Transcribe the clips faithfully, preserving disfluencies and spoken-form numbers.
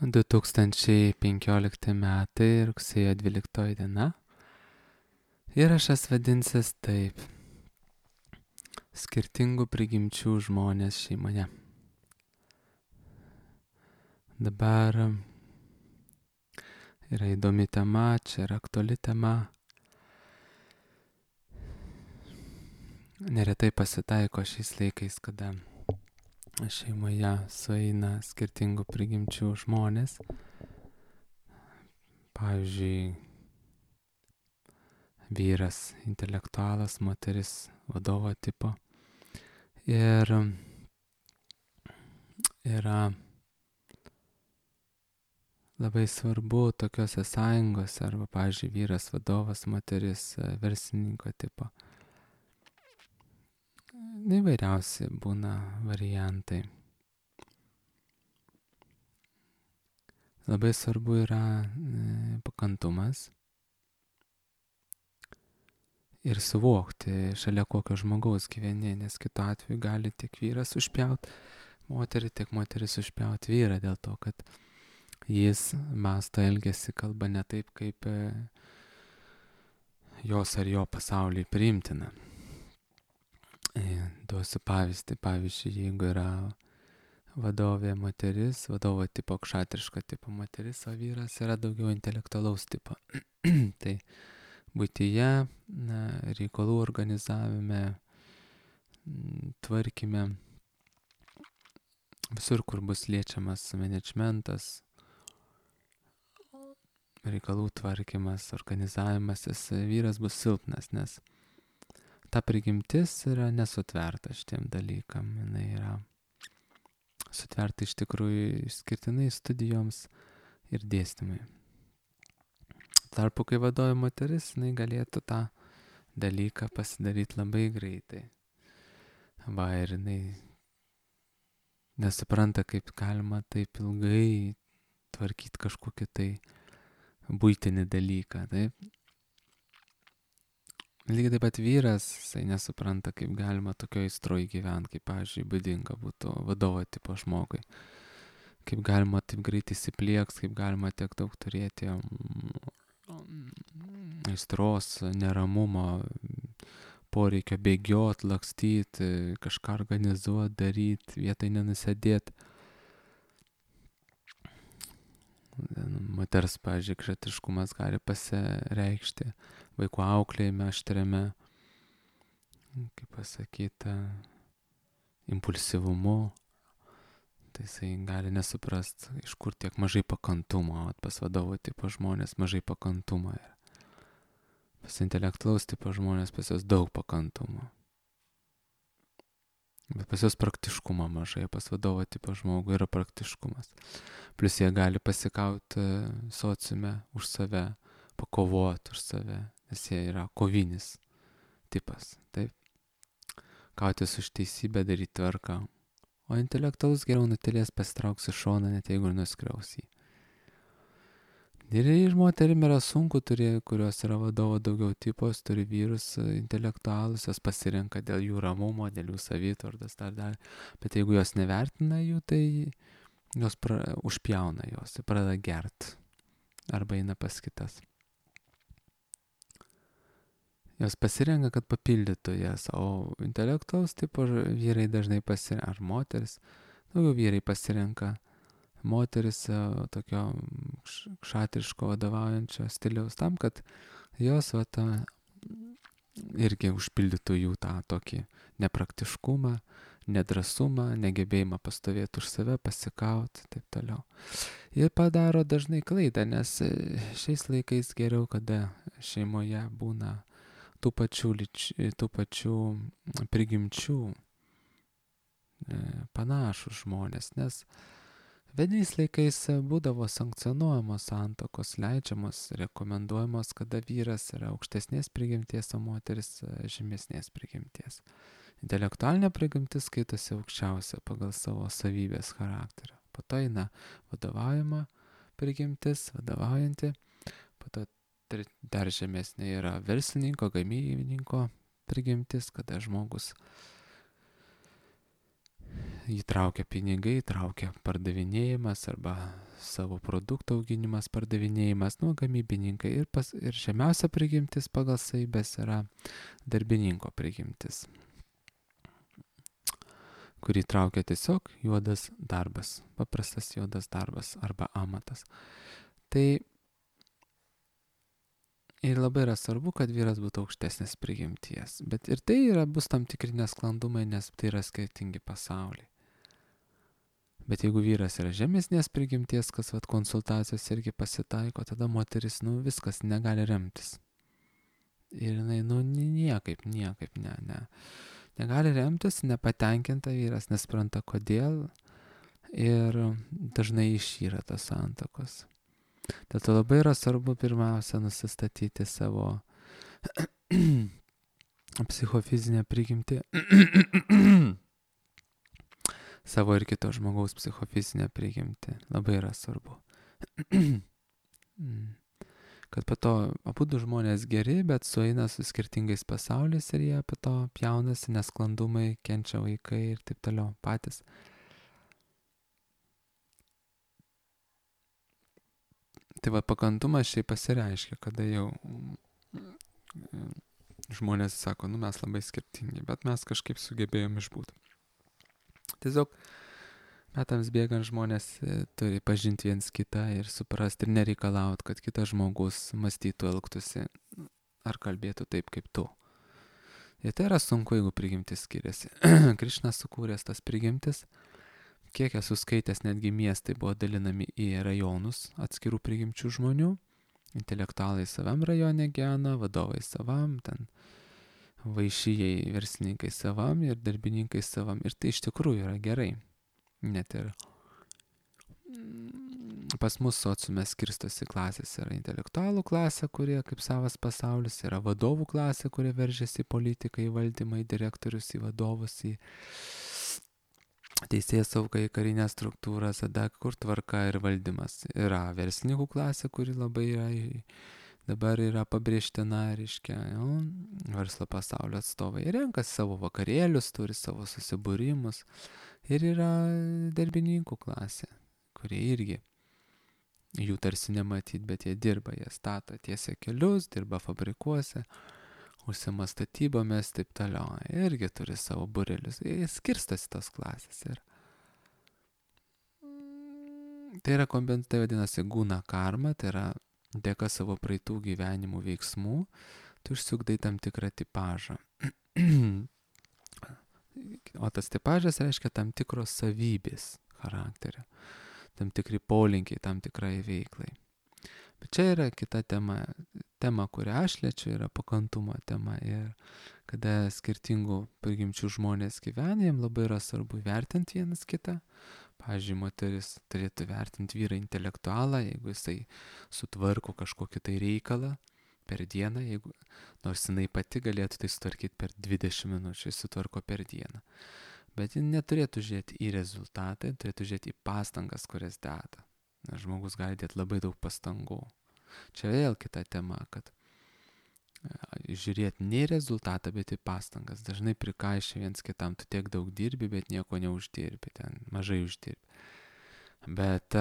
du tūkstančiai penkiolikti metai, rugsėjo dvyliktoji diena. Įrašas vadinsis taip: skirtingų prigimčių žmonės šeimoje. Dabar yra įdomi tema, čia yra aktuali tema. Neretai pasitaiko šiais laikais, kada šeimoje sueina skirtingų prigimčių žmonės. Pavyzdžiui, vyras intelektualas, moteris vadovo tipo. Ir yra labai svarbu tokiuose sąjungose, arba, pavyzdžiui, vyras vadovas, moteris verslininko tipo. Įvairiausi būna variantai. Labai svarbu yra pakantumas ir suvokti, šalia kokio žmogaus gyveni, nes kitu atveju gali tiek vyras užpjaut moterį, tiek moteris užpjaut vyrą, dėl to, kad jis mąsto, elgiasi, kalba ne taip, kaip jos ar jo pasauliui priimtina. Duosiu pavyzdį. Pavyzdžiui, jeigu yra vadovė moteris, vadovo tipo, kšatriško tipo moteris, o vyras yra daugiau intelektualaus tipo. Tai buityje, na, reikalų organizavime, tvarkyme, visur, kur bus liečiamas managementas, reikalų tvarkymas, organizavimas, jis vyras bus silpnas, nes ta prigimtis yra nesutverta šitiem dalykam. Jinai yra sutverta iš tikrųjų išskirtinai studijoms ir dėstymui. Tarpu, kai vadovė moteris, jinai galėtų tą dalyką pasidaryti labai greitai. Va, ir jinai nesupranta, kaip galima taip ilgai tvarkyti kažkokį tai buitinį dalyką, taip? Lygiai taip pat vyras, jisai nesupranta, kaip galima tokio aistroj gyventi, kaip, pavyzdžiui, būdinga būtų vadovo tipo žmogui. Kaip galima taip greit įsiplieks, kaip galima tiek daug turėti aistros, neramumo, poreikio bėgiot, lakstyti, kažką organizuoti, daryti, vietoj nenusėdėti. Moters, pavyzdžiui, kšatriškumas gali pasireikšti vaikų auklėjime, aštriame, kaip pasakyta, impulsyvumu. Tai jisai gali nesuprast, iš kur tiek mažai pakantumo. Pas vadovo tipo žmonės mažai pakantumo. Pas intelektualaus tipo žmonės pas jos daug pakantumo. Bet pas jos praktiškumo mažai, pas vadovo tipo žmogų yra praktiškumas. Plius jie gali pasikauti sociume už save, pakovoti už save, nes jie yra kovinis tipas, taip. Kautis už teisybę, daryti tvarką. O intelektualus geriau nutilės, pasitrauks į šoną, net jeigu ir nuskriaus jį. Ir iš moterim yra sunku, turi, kurios yra vadovo daugiau tipos, turi vyrus intelektualus, jos pasirenka dėl jų ramumo, dėl jų savitvardos, dar dar. Bet jeigu jos nevertina jų, tai jos pra, užpjauna jos, pradeda gert arba eina pas kitas. Jos pasirenka, kad papildytų jas, o intelektualus tipo vyrai dažnai pasirenka, ar moteris, daugiau vyrai pasirenka moteris tokio kšatriško vadovaujančio stiliaus tam, kad jos va, ta, irgi užpildytų jų tą tokį nepraktiškumą, nedrasumą, negebėjimą pastovėti už save, pasikauti, taip toliau. Ir padaro dažnai klaidą, nes šiais laikais geriau, kada šeimoje būna tų pačių, lyč, tų pačių prigimčių panašus žmonės, nes vienais laikais būdavo sankcionuojamos santuokos, leidžiamos, rekomenduojamos, kada vyras yra aukštesnės prigimties, o moteris žemesnės prigimties. Intelektualinė prigimtis skaitosi aukščiausia pagal savo savybės charakterio. Po to eina vadovaujama prigimtis, vadovaujanti, po to dar žemesnė yra verslininko, gamybininko prigimtis, kada žmogus įtraukia pinigai, įtraukia pardavinėjimas arba savo produktų auginimas, pardavinėjimas, nu, gamybininkai. Ir, pas, ir žemiausia prigimtis pagal savybės yra darbininko prigimtis, kurį traukia tiesiog juodas darbas, paprastas juodas darbas arba amatas. Tai ir labai yra svarbu, kad vyras būtų aukštesnės prigimties. Bet ir tai yra, bus tam tikri nesklandumai, nes tai yra skirtingi pasauliai. Bet jeigu vyras yra žemesnės prigimties, kas vat konsultacijos irgi pasitaiko, tada moteris, nu, viskas negali remtis. Ir jinai, nu, niekaip, niekaip, ne, ne. Negali remtis, nepatenkinta vyras, nespranta kodėl ir dažnai išyra tos santakos. Dėl to labai yra svarbu pirmiausia nusistatyti savo psichofizinę prigimtį, savo ir kito žmogaus psichofizinę prigimtį. Labai yra svarbu. Kad po to abudu žmonės geri, bet sueina su skirtingais pasauliais ir jie po to pjaunasi, nesklandumai, kenčia vaikai ir taip toliau patys. Tai va, pakantumas šiaip pasireiškia, kada jau žmonės sako, nu mes labai skirtingi, bet mes kažkaip sugebėjom išbūti. Tiesiog metams bėgant žmonės turi pažinti viens kitą ir suprasti ir nereikalauti, kad kitas žmogus mąstytų, elgtųsi ar kalbėtų taip kaip tu. Ir tai yra sunku, jeigu prigimtis skiriasi. Krišnas sukūręs tas prigimtis, kiek esu skaitęs, netgi miestai buvo dalinami į rajonus atskirų prigimčių žmonių. Intelektualai savam rajone gyvena, vadovai savam, ten vaišyjei verslininkai savam ir darbininkai savam. Ir tai iš tikrųjų yra gerai. Net ir pas mus sociume skirstosi klasės. Yra intelektualų klasė, kurie kaip savas pasaulis, yra vadovų klasė, kurie veržiasi į politiką, į valdymą, į direktorius, į vadovus, į teisėją saugą, į karinę struktūrą, tada kur tvarka ir valdymas. Yra verslininkų klasė, kuri labai yra, dabar yra pabrėžtina, reiškia, jau, verslo pasaulio atstovai. Renkasi savo vakarėlius, turi savo susibūrimus. Ir yra darbininkų klasė, kurie irgi, jų tarsi nematyt, bet jie dirba, jie stato tiesia kelius, dirba fabrikuose, užsima statybomis, taip toliau. Irgi turi savo būrelius. Jie skirstosi tos klasės. Ir tai yra kombinacija, tai vadinasi guna karma, tai yra dėka savo praeitų gyvenimų veiksmų, tu išsiugdai tam tikrą tipažą. O tas tipažas reiškia tam tikros savybės charakterio, tam tikri polinkiai, tam tikrai veiklai. Bet čia yra kita tema. Tema, kurią aš liečiu, yra pakantumo tema. Ir kada skirtingų prigimčių žmonės gyvena, jiems labai yra svarbu vertinti vienas kitą. Pavyzdžiui, moteris turėtų vertinti vyrą intelektualą, jeigu jisai sutvarko kažkokį tai reikalą per dieną, jeigu, nors jinai pati galėtų tai sutvarkyti per dvidešimt minučių, jis sutvarko per dieną. Bet ji neturėtų žiūrėti į rezultatą, turėtų žiūrėti į pastangas, kurias deda. Nes žmogus gali dėti labai daug pastangų. Čia vėl kita tema, kad žiūrėti ne į rezultatą, bet į pastangas. Dažnai prikaišia viens kitam, tu tiek daug dirbi, bet nieko neuždirbi, ten mažai uždirbi. Bet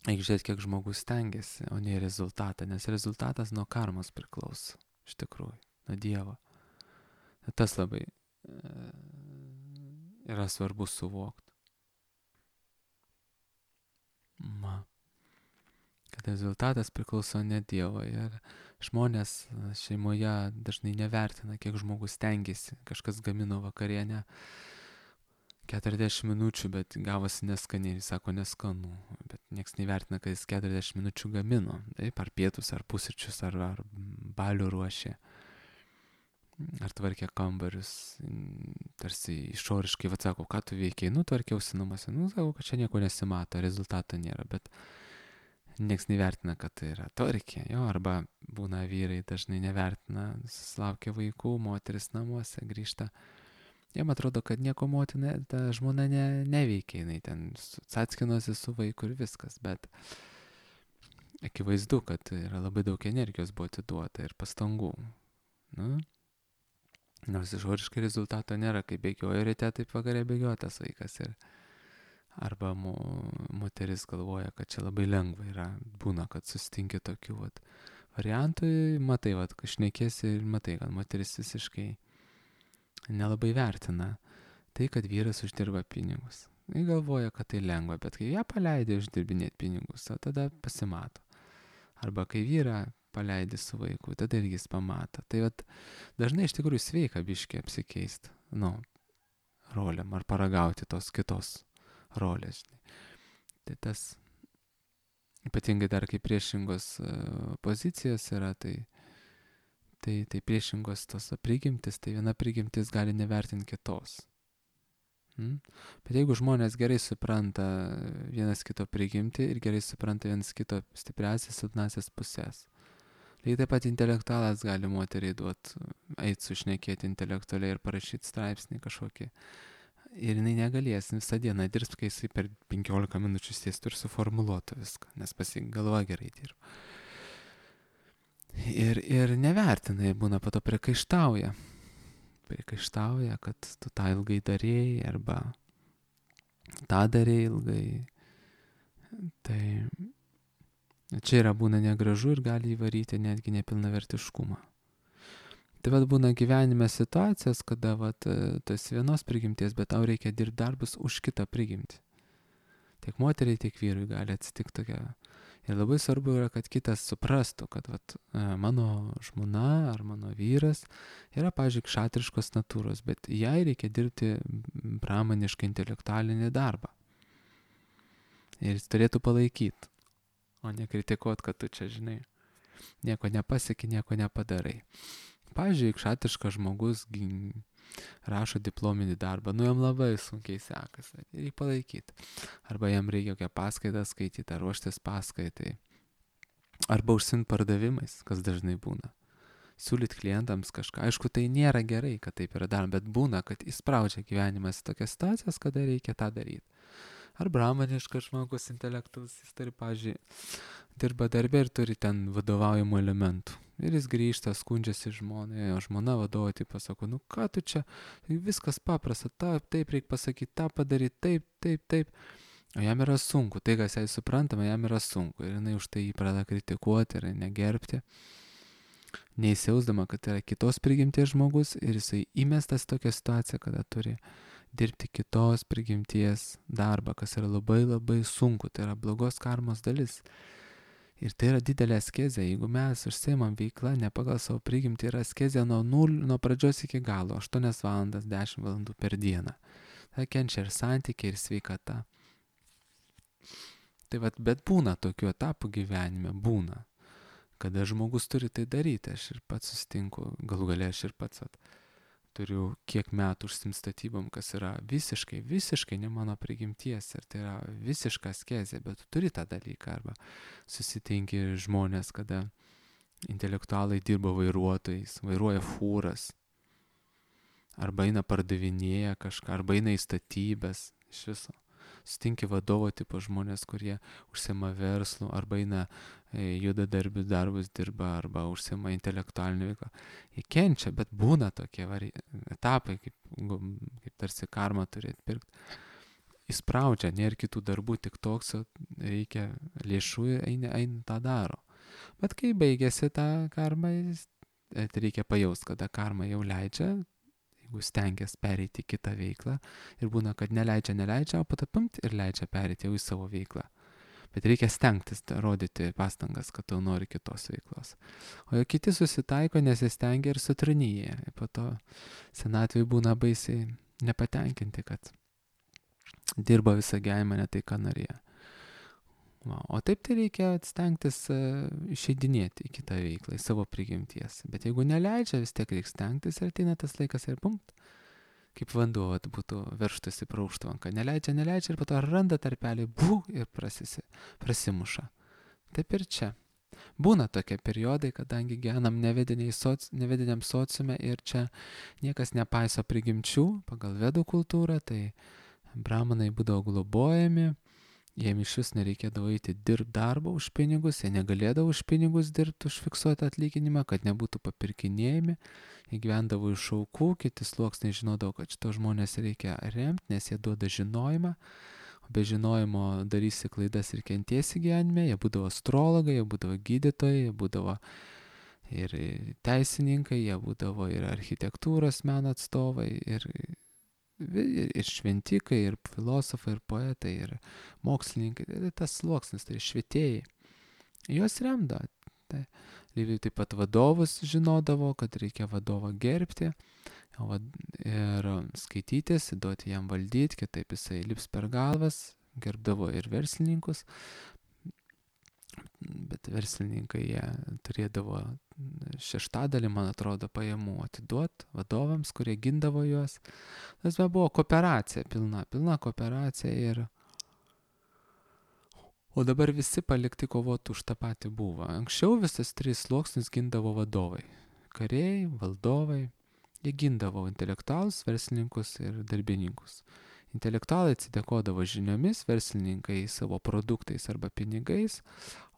reikia žiūrėti, kiek žmogus stengiasi, o ne į rezultatą, nes rezultatas nuo karmos priklauso, iš tikrųjų, nuo Dievo. Tas labai yra svarbu suvokti. Ma. Kad rezultatas priklauso ne Dievo ir žmonės šeimoje dažnai nevertina, kiek žmogus stengiasi. Kažkas gamino vakarienę keturiasdešimt minučių, bet gavosi neskaniai ir sako neskanu. Bet nieks nevertina, kad jis keturiasdešimt minučių gamino. Taip, ar pietus, ar pusryčius, ar, ar balių ruošė. Ar tvarkė kambarius. Tarsi išoriškai, vat sako, ką tu veikiai, nu tvarkiausi namuose. Nu, sako, kad čia nieko nesimato, rezultato nėra, bet nieks nevertina, kad tai yra tvarkė, jo, arba būna vyrai dažnai nevertina, susilaukia vaikų, moteris namuose grįžta. Jiem atrodo, kad nieko motina, ta žmona ne, neveikia, jinai ten atskinosi su vaiku ir viskas, bet akivaizdu, kad yra labai daug energijos buvo atiduota ir pastangų. Nu, nors išoriškai rezultato nėra, kai bėgioja ryte, taip vakarė bėgioja tas vaikas ir Arba mo, moteris galvoja, kad čia labai lengva yra. Būna, kad susitinki tokių vat, variantų, matai, vat, kai šnekėsi ir matai, kad moteris visiškai nelabai vertina tai, kad vyras uždirba pinigus. Jis galvoja, kad tai lengva, bet kai ją paleidė uždirbinėti pinigus, tada pasimato. Arba kai vyrą paleidė su vaiku, tada irgi jis pamato. Tai vat, dažnai iš tikrųjų sveika biškiai apsikeisti, nu, roliam ar paragauti tos kitos rolės. Tai tas, ypatingai dar kai priešingos uh, pozicijos yra, tai, tai, tai priešingos tos prigimtis, tai viena prigimtis gali nevertinti kitos. Hmm? Bet jeigu žmonės gerai supranta vienas kito prigimtį ir gerai supranta vienas kito stipriasias, silpnasias pusės. Lygiai taip pat intelektualas gali moteriai duoti, eit sušnekėti intelektualiai ir parašyti straipsnį kažkokį. Ir jinai negalės visą dieną dirbti, kai jisai per penkiolika minučių sėstų ir suformuluotų viską, nes pasigalva gerai dirba. Ir, ir nevertina, ir būna po to priekaištauja. Priekaištauja, kad tu tą ilgai darėjai, arba tą darėjai ilgai. Tai čia yra būna negražu ir gali įvaryti netgi nepilnavertiškumą. Tai vat būna gyvenime situacijos, kada vat, tas vienos prigimties, bet tau reikia dirbti darbus už kitą prigimtį. Tiek moteriai, tiek vyrui gali atsitikti tokia. Ir labai svarbu yra, kad kitas suprastų, kad vat, mano žmona ar mano vyras yra, pavyzdžiui, kšatriškos natūros, bet jai reikia dirbti pramonišką intelektualinį darbą. Ir jis turėtų palaikyti, o ne kritikuoti, kad tu čia, žinai, nieko nepasieki, nieko nepadarai. Pavyzdžiui, kšatriškas žmogus rašo diplominį darbą, nu jam labai sunkiai sekasi, ir jį palaikyti. Arba jam reikia kokią paskaitą skaityti, ar ruoštis paskaitai. Arba užsiimti pardavimais, kas dažnai būna. Siūlyti klientams kažką. Aišku, tai nėra gerai, kad taip yra daroma, bet būna, kad įspraudžia gyvenimas į tokias situacijas, kada reikia tą daryti. Ar bramaniškas žmogus intelektus, jis turi, pavyzdžiui, dirba darbę ir turi ten vadovaujamų elementų. Ir jis grįžta, skundžiasi žmonai, o žmona vadovo taip pasako, nu ką tu čia, viskas paprasta, taip, taip reikia pasakyti, tą padaryti, taip, taip, taip. O jam yra sunku, tai kas jai suprantama, jam yra sunku. Ir jinai už tai jį pradeda kritikuoti ir negerbti, neįsijausdama, kad yra kitos prigimties žmogus ir jisai įmestas tokią situaciją, kada turi dirbti kitos prigimties darbą, kas yra labai labai sunku, tai yra blogos karmos dalis. Ir tai yra didelė askezė. Jeigu mes užsiimam veiklą ne pagal savo prigimtį, yra askezė nuo, nul, nuo pradžios iki galo, aštuonias valandas, dešimt valandų per dieną. Tai kenčia ir santykiai, ir sveikata. Tai vat, bet būna tokių etapų gyvenime, būna, kada žmogus turi tai daryti. Aš ir pats susitinku, galų gale aš ir pats vat, turiu kiek metų užsiimt statybom, kas yra visiškai, visiškai ne mano prigimties, ir tai yra visiška askezė, bet tu turi tą dalyką. Arba susitinki žmonės, kada intelektualai dirba vairuotojais, vairuoja fūras, arba eina pardavinėja kažką, arba eina į statybės, iš viso. Sutinki vadovo tipo žmonės, kurie užsiima verslų, arba eina juda darbius darbus dirba, arba užsiima intelektualinį veiklą. Jie kenčia, bet būna tokie vari... etapai, kaip, kaip tarsi karma turi atpirkti. Įspraudžia, nėra kitų darbų, tik toks, reikia lėšų ir eina, eina tą daro. Bet kai baigėsi tą karmą, tai reikia pajaust, kada karma jau leidžia, jeigu stengiasi pereiti į kitą veiklą, ir būna, kad neleidžia, neleidžia, o patapimt ir leidžia pereiti jau į savo veiklą. Bet reikia stengtis, rodyti pastangas, kad tu nori kitos veiklos. O jau kiti susitaiko, nesistengia ir sutranyja. Ir po to senatvėje būna baisiai nepatenkinti, kad dirba visą gyvenimą ne tai, ką norėjo. Va, o taip tai reikia stengtis uh, išeidinėti į kitą veiklą, į savo prigimties. Bet jeigu neleidžia, vis tiek reikia stengtis ir ateina tas laikas ir pumt. Kaip vanduo vat, būtų verštasi pro užtvanką. Neleidžia, neleidžia ir po to randa tarpelį, bū, ir prasisi, prasimuša. Taip ir čia. Būna tokie periodai, kadangi gyvenam soc, nevediniam sociume ir čia niekas nepaiso prigimčių pagal vedų kultūrą, tai bramanai būdavo globojami, jiem iš vis nereikėdavo eiti dirbti darbą už pinigus, jie negalėdavo už pinigus dirbti, už fiksuotą atlyginimą, kad nebūtų papirkinėjami. Jie gyvendavo iš aukų, kiti sluoksniai žinodavo, kad šito žmonės reikia remti, nes jie duoda žinojimą. be žinojimo darysi klaidas ir kentėsi gyvenime, jie būdavo astrologai, jie būdavo gydytojai, jie būdavo ir teisininkai, jie būdavo ir architektūros meno atstovai, ir, ir, ir šventikai, ir filosofai, ir poetai, ir mokslininkai, tai tas sluoksnis, tai švietėjai. Juos remdavo. Tai, lygiai taip pat vadovus žinodavo, kad reikia vadovą gerbti ir skaitytis, duoti jam valdyti, kitaip jisai lips per galvas, gerbdavo ir verslininkus, bet verslininkai jie turėdavo šeštadalį, man atrodo, pajamų atiduoti vadovams, kurie gindavo juos. Tas buvo kooperacija, pilna, pilna kooperacija ir o dabar visi palikti kovoti už tą patį buvo. Anksčiau visas tris sluoksnius gindavo vadovai. Kariai, valdovai, jie gindavo intelektualus, verslininkus ir darbininkus. Intelektualai atsidėkodavo žiniomis, verslininkai savo produktais arba pinigais,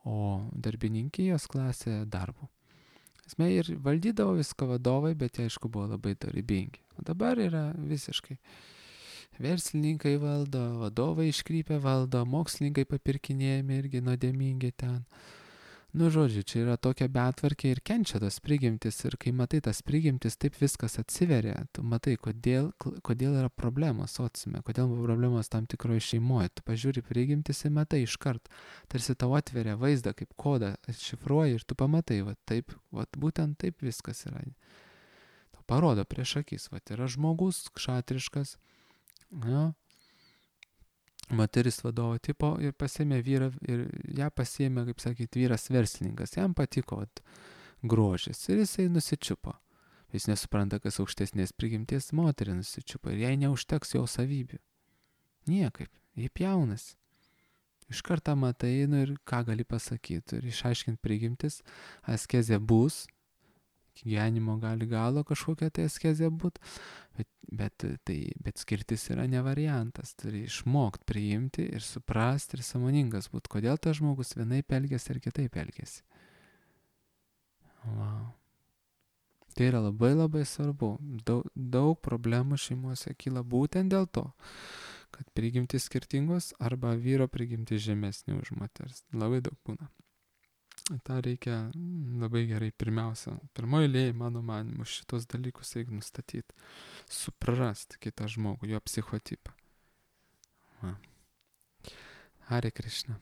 o darbininkijos klasė darbu. Esmė ir valdydavo viską vadovai, bet jie aišku buvo labai dorybingi. O dabar yra visiškai verslininkai valdo, vadovai iškrypę valdo, mokslininkai papirkinėjami irgi nuodėmingi ten. Nu, žodžiu, čia yra tokia betvarkė ir kenčia tas prigimtis ir kai matai tas prigimtis, taip viskas atsiveria, tu matai, kodėl, kodėl yra problemos sociume, kodėl problemos tam tikroje šeimoje. Tu pažiūri prigimtis ir matai iškart, tarsi tau atveria vaizdą kaip kodą, atšifruoji ir tu pamatai, va taip, va būtent taip viskas yra. Tau parodo prieš akis, va yra žmogus kšatriškas, jo, moteris vadovo tipo ir pasėmė vyrą ir ją pasėmė, kaip sakyt, vyras verslininkas. Jam patiko vat, grožis ir jisai nusičiupo. Jis nesupranta, kas aukštesnės prigimties moterį nusičiupo ir jai neužteks jo savybių. Niekaip, jie pjaunasi. Iš karto matai, nu ir ką gali pasakyti ir išaiškinti prigimtis, askezė bus, gyvenimo gali galo kažkokia tai askezė būt, bet, bet, tai, bet skirtis yra ne variantas, turi išmokti priimti ir suprasti ir sąmoningas būt, kodėl tas žmogus vienaip elgiasi ir kitaip elgiasi. Wow. Tai yra labai labai svarbu, daug, daug problemų šeimose kyla būtent dėl to, kad prigimtis skirtingos arba vyro prigimtis žemesnė už moters, labai daug būna. tą reikia labai gerai pirmiausia, pirmoji eilėje, mano manimu, šitos dalykus reikia nustatyti, suprast kitą žmogų, jo psichotipą. Va. Hare Krishna.